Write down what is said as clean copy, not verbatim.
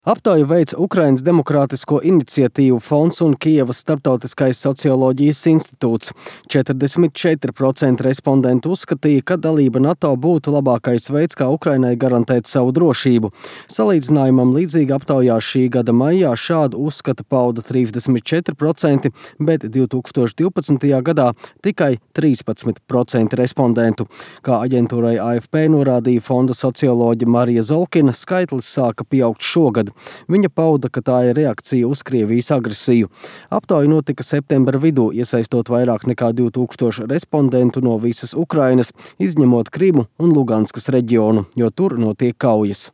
Aptauju veica Ukrainas Demokrātisko iniciatīvu fonds un Kijevas Starptautiskais socioloģijas institūts. 44% respondentu uzskatīja, ka dalība NATO būtu labākais veids, kā Ukrainai garantēt savu drošību. Salīdzinājumam līdzīgi aptaujā šī gada maijā šādu uzskatu pauda 34%, bet 2012. gadā tikai 13% respondentu. Kā aģentūrai AFP norādīja fonda socioloģe Marija Zolkina, skaitlis sāka pieaugt šogad. Viņa pauda, ka tā ir reakcija uz Krievijas agresiju. Aptauja notika septembra vidū, iesaistot vairāk nekā 2000 respondentu no visas Ukrainas, izņemot Krimu un Luganskas reģionu, jo tur notiek kaujas.